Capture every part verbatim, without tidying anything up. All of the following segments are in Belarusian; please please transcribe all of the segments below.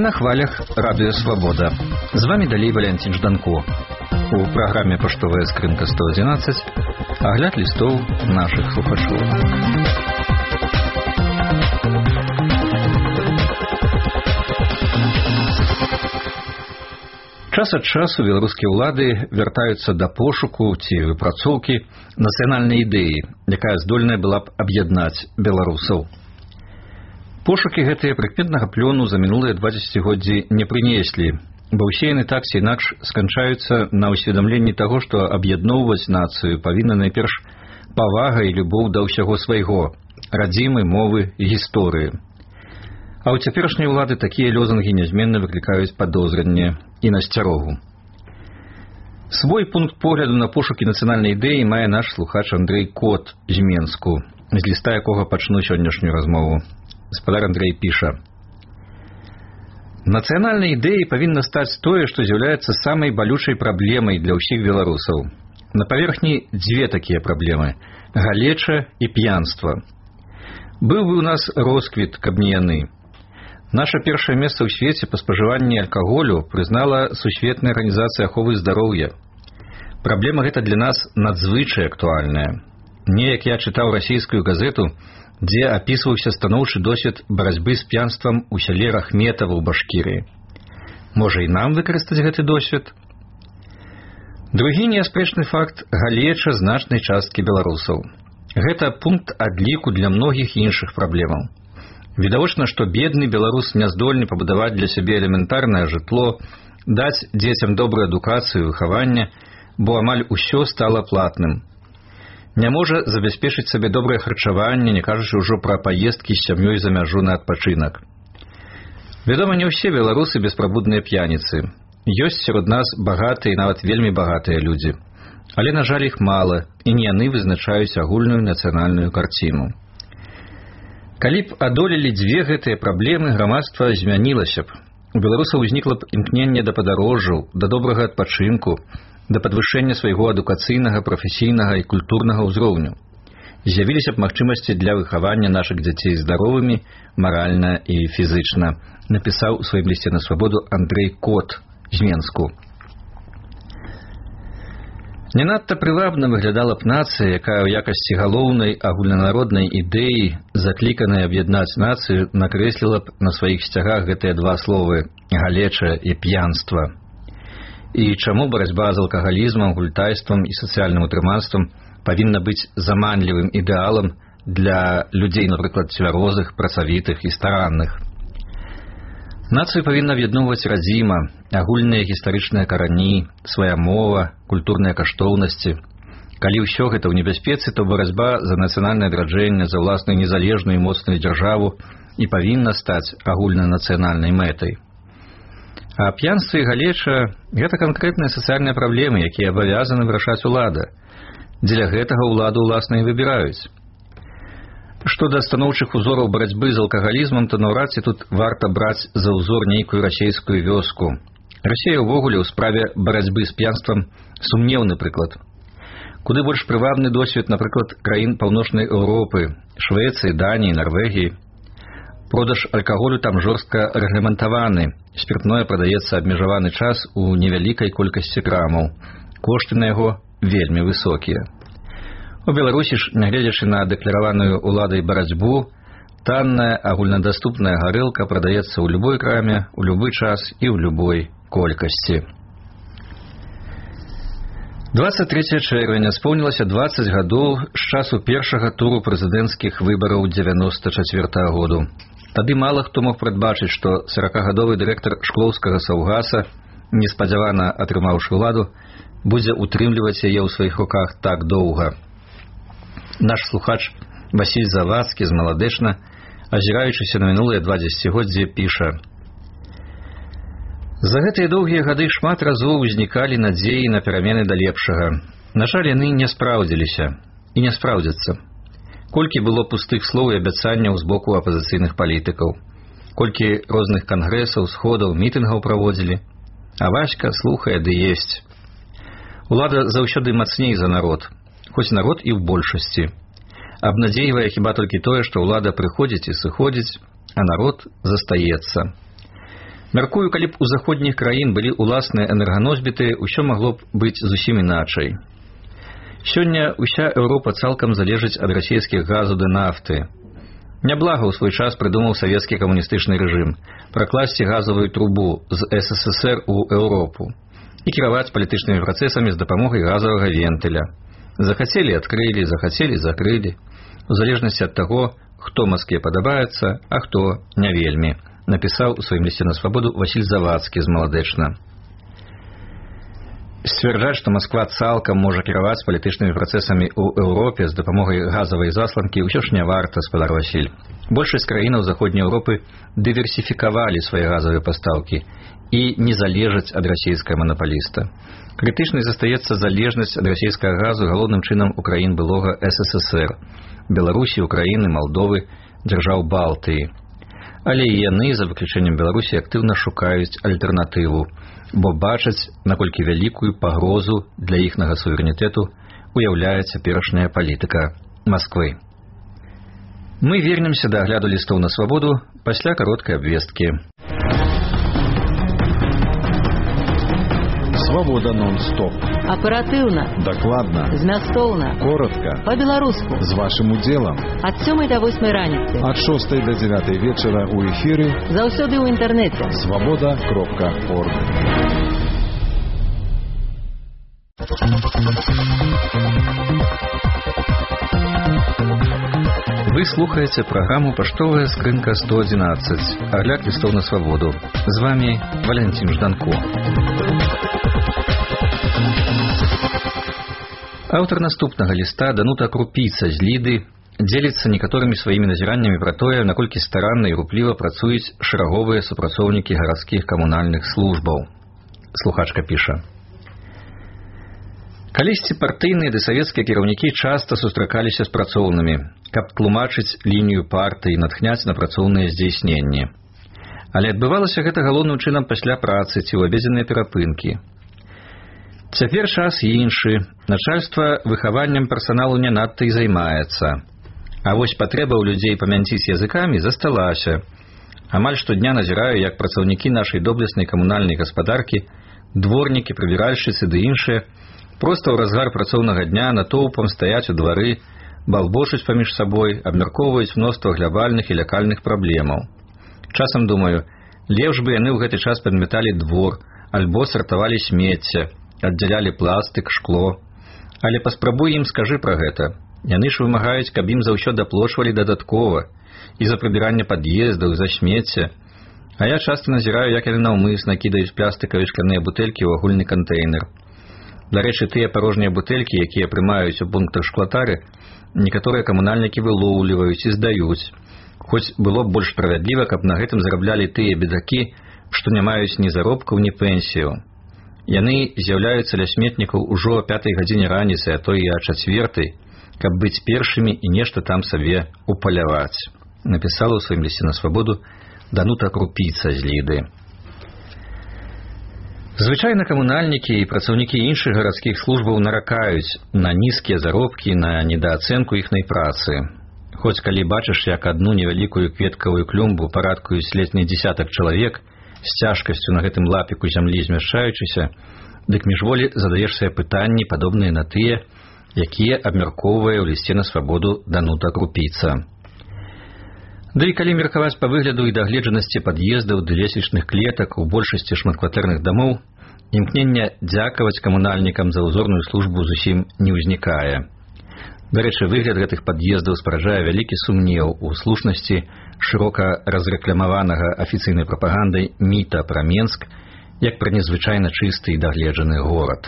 на хвалях Радио Свобода. З вами далей Валентин Жданко. У программе «Поштовая скрынка сто одиннадцать» огляд листов наших слухачоў. Час ад часу беларускія ўлады вяртаюцца да пошуку ці выпрацоўкі нацыянальнай ідэі, якая здольная была б аб'яднаць беларусаў. Пошукі гэтыя прыкметнага плёну за мінулыя два дзесяцігоддзі не прынеслі, бо ўсе яны так ці інакш сканчаюцца на ўсведамленні таго, што аб'ядноўваць нацыю павінна найперш павага і любоў да ўсяго свайго, радзімы, мовы і гісторыі. А ў цяперашняй улады такія лёзангі нязменна выклікаюць падозрэнне і насцярогу. Свой пункт погляду на пошукі нацыянальнай ідэі мае наш слухач Андрэй Кот з Менску, з ліста якога пачну сённяшнюю размову. Гаспадар Андрэй піша: «Нацыянальнай ідэяй павінна стаць тое, што з'яўляецца самай балючай праблемай для ўсіх беларусаў. На паверхні дзве такія праблемы – галеча і п'янства. Быў бы ў нас росквіт, каб не яны. Наша першае месца ў свеце па спажыванні алкаголю прызнала Сусветная арганізацыя аховы здароўя. Праблема гэта для нас надзвычай актуальная. Неяк я чытаў расійскую газету, дзе апісваўся станоўчы досвед барацьбы з п'янствам у сяле Рахметава ў Башкірыі. Можа і нам выкарыстаць гэты досвед? Другі неаспрэчны факт – галеча значнай часткі беларусаў. Гэта пункт адліку для многіх іншых праблемаў. Відавочна, што бедны беларус не здольны пабудаваць для сябе элементарнае жытло, даць дзецям добрую адукацыю і выхаванне, бо амаль усё стала платным. Не можа забяспечыць сабе добрае харчаванне, не кажучы ўжо пра паездкі з сям'ёй за мяжу на адпачынак. Вядома, не ўсе беларусы беспрабудныя п'яніцы. Ёсць сярод нас багатыя і нават вельмі багатыя людзі. Але, на жаль, іх мала, і не яны вызначаюць агульную нацыянальную карціну. Калі б адолелі дзве гэтыя праблемы, грамадства змянілася б. У беларусаў узнікла б імкненне да падарожжаў, да добрага адпачынку, да падвышэння свайго адукацыйнага, прафесійнага і культурнага ўзроўню. З'явіліся б магчымасці для выхавання нашых дзяцей здаровымі, маральна і фізычна, напісаў у сваім лісце на свабоду Андрэй Кот з Менску. Не надта прывабна выглядала б нацыя, якая ў якасці галоўнай агульнанароднай ідэі, закліканай аб'яднаць нацыю, накрэсліла б на сваіх сцягах гэтыя два словы – галеча і п'янства. І чаму барацьба з алкагалізмам, гультайствам і сацыяльным утрыманствам павінна быць заманлівым ідэалам для людзей, напрыклад, цвярозых, працавітых і старанных. Нацыю павінна аб'ядноўваць радзіма, агульныя гістарычныя карані, свая мова, культурныя каштоўнасці. Калі ўсё гэта ў небяспецы, то барацьба за нацыянальнае адраджэнне, за ўласную незалежную і моцную дзяржаву і павінна стаць агульнанацыянальнай мэтай. А п'янства і галеча – гэта канкрэтныя сацыяльныя праблемы, якія абавязаны вырашаць улада. Дзеля гэтага ўладу ўласна і выбіраюць. Што да станоўчых узораў барацьбы з алкагалізмам, то наўрад ці тут варта браць за ўзор нейкую расейскую вёску. Расія ўвогуле ў справе барацьбы з п'янствам сумнеўны прыклад. Куды больш прывабны досвед, напрыклад, краін Паўночнай Еўропы, Швецыі, Даніі, Нарвегіі. Продаж алкаголю там жорстка рэгламентаваны, спіртное прадаецца абмежаваны час у невялікай колькасці крамаў. Кошты на яго вельмі высокія. У Беларусі ж, нягледзячы на дэклараваную уладай барацьбу, танная агульнадаступная гарэлка прадаецца ў любой краме, у любы час і ў любой колькасці. дваццаць трэцяе чэрвеня споўнілася дваццаць гадоў з часу першага туру прэзідэнцкіх выбараў дзевяноста чацвёртага году. Тады мала хто мог прадбачыць, што саракагадовы дырэктар шклоўскага саўгаса, неспадзявана атрымаўшы ўладу, будзе утрымліваць яе ў сваіх руках так доўга. Наш слухач Васіль Завадскі з Маладэчна, азіраючыся на мінулыя два дзесяцігоддзі, піша: «За гэтыя доўгія гады шмат разоў узнікалі надзеі на перамены да лепшага. На жаль, яны не спраўдзіліся і не спраўдзяцца. Колькі было пустых слоў і абяцанняў з боку апазіцыйных палітыкаў, колькі розных кангрэсаў, сходаў, мітынгаў праводзілі. А Васька слухае ды есць. Улада заўсёды мацней за народ, хоць народ і ў большасці. Абнадзейвае хіба толькі тое, што ўлада прыходзіць і сыходзіць, а народ застаецца. Мяркую, калі б у заходніх краін былі ўласныя энерганосьбіты, усё магло б быць зусім іначай. Сёння ўся Еўропа цалкам залежыць ад расійскіх газу ды нафты. Няблага ў свой час прыдумаў савецкі камуністычны рэжым пракласці газавую трубу з эс эс эс эр у Еўропу і кіраваць палітычнымі працэсамі з дапамогай газавага вентыля. Захацелі адкрылі, захацелі закрылі, у залежнасці ад таго, хто Маскве падабаецца, а хто не вельмі, напісаў у сваім лісце на свабоду Васіль Завадскі з Маладэчна. Сцвярджаць, што Масква цалкам можа кіраваць палітычнымі працэсамі ў Еўропе з дапамогай газавай засланкі, ўсё ж не варта, спадар Васіль. Большасць краінаў Заходняй Еўропы дыверсіфікавалі свае газавыя пастаўкі і не залежаць ад расійскага манапаліста. Крытычнай застаецца залежнасць ад расійскага газу галоўным чынам у краін былога эс эс эс эр – Беларусі, Украіны, Малдовы, дзяржаў Балтыі. Але і яны, за выключэннем Беларусі, актыўна шукаюць альтэрнатыву, бо бачаць, наколькі вялікую пагрозу для іхнага суверэнітэту уяўляе цяперашняя палітыка Масквы. Мы вернемся да агляду лістоў на свабоду пасля кароткай абвесткі. Свобода нон-стоп. Оперативно. Докладно. Змястоўна. Коротко. По-беларуску. З вашим удзелам. Ад сёмай до восьмай раніцы. Ад шостай до дзевятай вечара у эфіры. Заўсёды ў інтэрнэце. свобода кропка орг. Вы слухаеце праграму «Паштовая скрынка сто одиннадцать». Агляд лістоў на свабоду. З вами Валентин Жданко. Аўтар наступнага ліста Данута Крупіца з Ліды дзеліцца некаторымі сваімі назіраннямі пра тое, наколькі старанна і рупліва працуюць шараговыя супрацоўнікі гарадскіх камунальных службаў. Слухачка піша. Калісьці партыйныя ды савецкія кіраўнікі часта сустракаліся з працоўнымі, каб тлумачыць лінію партыі і натхняць на працоўныя здзейсненні. Але адбывалася гэта галоўным чынам пасля працы ці ў абедзенныя перапынкі. Цяпер час іншы, начальства выхаваннем персаналу не надта і займаецца. А вось патрэба ў людзей памянціць языкамі засталася. Амаль штодня назіраю, як працаўнікі нашай доблеснай камунальнай гаспадаркі, дворнікі, прыбіральшчыцы ды іншыя, проста ў разгар працоўнага дня натоўпам стаяць у двары, балбочуць паміж сабой, абмяркоўваюць мноства глябальных і лякальных праблемаў. Часам думаю, лепш бы яны ў гэты час падмяталі двор, альбо сартавалі смецце, аддзялялі пластык, шкло. Але паспрабуй ім скажы пра гэта. Яны ж вымагаюць, каб ім за ўсё даплочвалі дадаткова, і за прыбіранне пад'ездаў, за смецце. А я часта назіраю, як яны наўмысна кідаюць пластыкавыя шкляныя бутэлькі ў агульны кантэйнер. Дарэчы, тыя парожнія бутэлькі, якія прымаюць у пунктах шклатары, некаторыя камунальнікі вылоўліваюць і здаюць. Хоць было б больш справядліва, каб на гэтым зараблялі тыя бедакі, што не маюць ні заробкаў, ні пенсію. Яны з'яўляюцца ля сметнікаў ужо о пятай гадзіне раніцы, а то і о чацвертай, каб быць першымі і нешта там сабе упаляваць. Напісала ў сваім лісце на свабоду Данута Крупіца з Ліды. Звычайна камунальнікі і працаўнікі іншых гарадскіх службаў наракаюць на нізкія заробкі, на недаацэнку іхнай працы. Хоць калі бачыш, як адну невялікую кветкавую клумбу парадкуюць летні дзесятак чалавек, з цяжкасцю на гэтым лапіку зямлі змяшчаючыся, дык міжволі задаеш сабе пытанні, падобныя на тыя, якія абмяркоўвае ў лісце на свабоду Данута Крупіца. Да і калі меркаваць па выгляду і дагледжанасці пад'ездаў ды лесвічных клетак у большасці шматкватэрных дамоў, імкнення дзякаваць камунальнікам за ўзорную службу зусім не ўзнікае. Дарэчы, выгляд гэтых пад'ездаў спараджае вялікі сумнеў у слушнасці шырока разрэкламаванага афіцыйнай прапагандай міта пра Менск як пра незвычайна чысты і дагледжаны горад.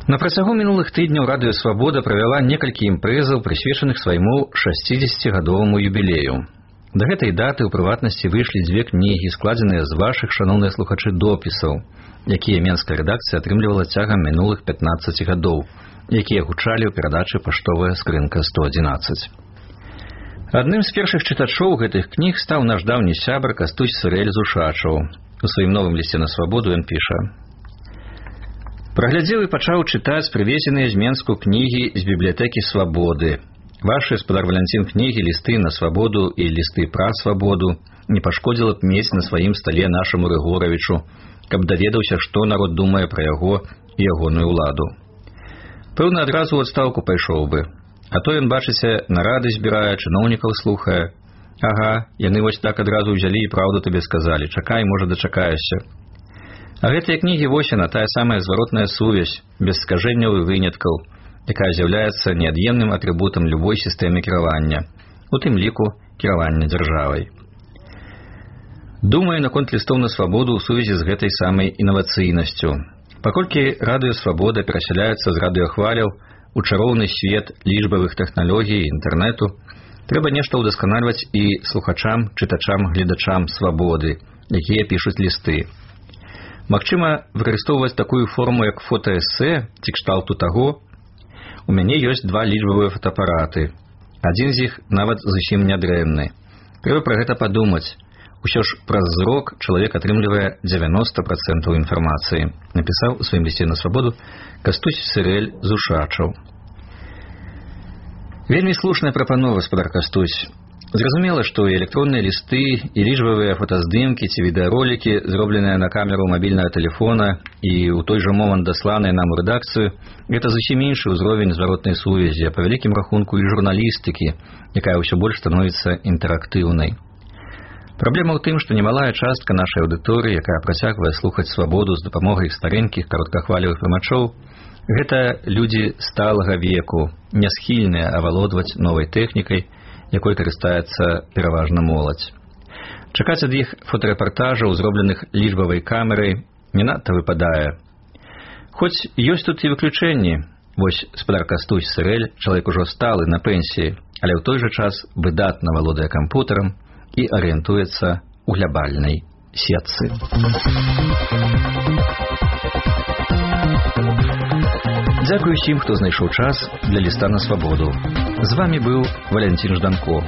На працягу мінулых тыдняў Радыё Свабода правяла некалькі імпрэзаў, прысвечаных свайму шасцідзесяцігадоваму юбілею. Да гэтай даты ў прыватнасці выйшлі дзве кнігі, складзеныя з вашых, шаноўныя слухачы, допісаў, якія менская рэдакцыя атрымлівала цягам мінулых пятнаццаці гадоў, якія гучалі ў перадачы «Паштовая скрынка сто одиннадцать». Адным з першых чытачоў гэтых кніг стаў наш даўні сябар Кастусь Сырэль Зушачаў. У сваім новым лісце на свабоду ён піша: «Праглядзеў і пачаў чытаць прывезеныя з Менску кнігі з бібліятэкі Свабоды. Вашы, спадар Валянцін, кнігі, лісты на свабоду і лісты пра свабоду, не пашкодзіла б мець на сваім стале нашаму Рыгоравічу, каб даведаўся, што народ думае пра яго і ягоную ўладу. Пэўна, адразу ў адстаўку пайшоў бы. А то ён, бачыце, нарады збірае, чыноўнікаў слухае. Ага, яны вось так адразу ўзялі і праўду табе сказалі. Чакай, можа, дачакаешся. А гэтыя кнігі вось яна, тая самая зваротная сувязь, без скажэнняў і выняткаў, якая з'яўляецца неад'емным атрыбутам любой сістэмы кіравання, у тым ліку кіравання дзяржавай. Думаю наконт лістоў на свабоду ў сувязі з гэтай самай інавацыйнасцю. Паколькі радыё «Свабода» перасяляецца з радыёхваляў у чароўны свет лічбавых тэхналогій і інтэрнэту, трэба нешта ўдасканальваць і слухачам, чытачам, гледачам «Свабоды», якія пішуць лісты. Магчыма, выкарыстоўваць такую форму, як фотаэсэ ці кшталту таго. У мяне ёсць два лічбавыя фотоапараты. Адзін з іх нават зусім нядрэнны. Трэба пра гэта падумаць. Усё ж праз зрок чалавек атрымлівае дзевяноста працэнтаў інфармацыі, напісаў у сваім лісце на свабоду Кастусь Сырэль з Ушачаў. Вельмі слушная прапанова, гаспадар Кастусь. Зразумела, што і электронныя лісты, і лічбавыя фотаздымкі ці відэаролікі, зробленыя на камеру мабільнага тэлефона і ў той жа момант дасланыя нам у рэдакцыю, гэта зусім іншы ўзровень зваротнай сувязі, а па вялікім рахунку і журналістыкі, якая ўсё больш становіцца інтэрактыўнай. Праблема ў тым, што немалая частка нашай аўдыторыі, якая працягвае слухаць свабоду з дапамогай старэнькіх кароткахвалевых прымачоў, гэта людзі сталага веку, не схільныя авалодваць новай тэхнікай, якой карыстаецца пераважна моладзь. Чакаць ад іх фотарэпартажаў, зробленых лічбавай камерай, не надта выпадае. Хоць ёсць тут і выключэнні. Вось гаспадар Кастусь Сырэль, чалавек ужо сталы на пенсіі, але ў той жа час выдатна валодае кампутарам і арыентуецца ў глябальнай сетцы. Дзякую усім, хто знайшоў час для ліста на свабоду. З вами быў Валянцін Жданко.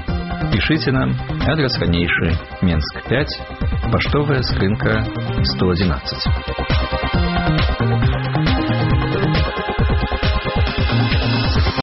Пішыце нам, адрес ранейшы, Менск пяць, паштовая скрынка сто адзінаццаць.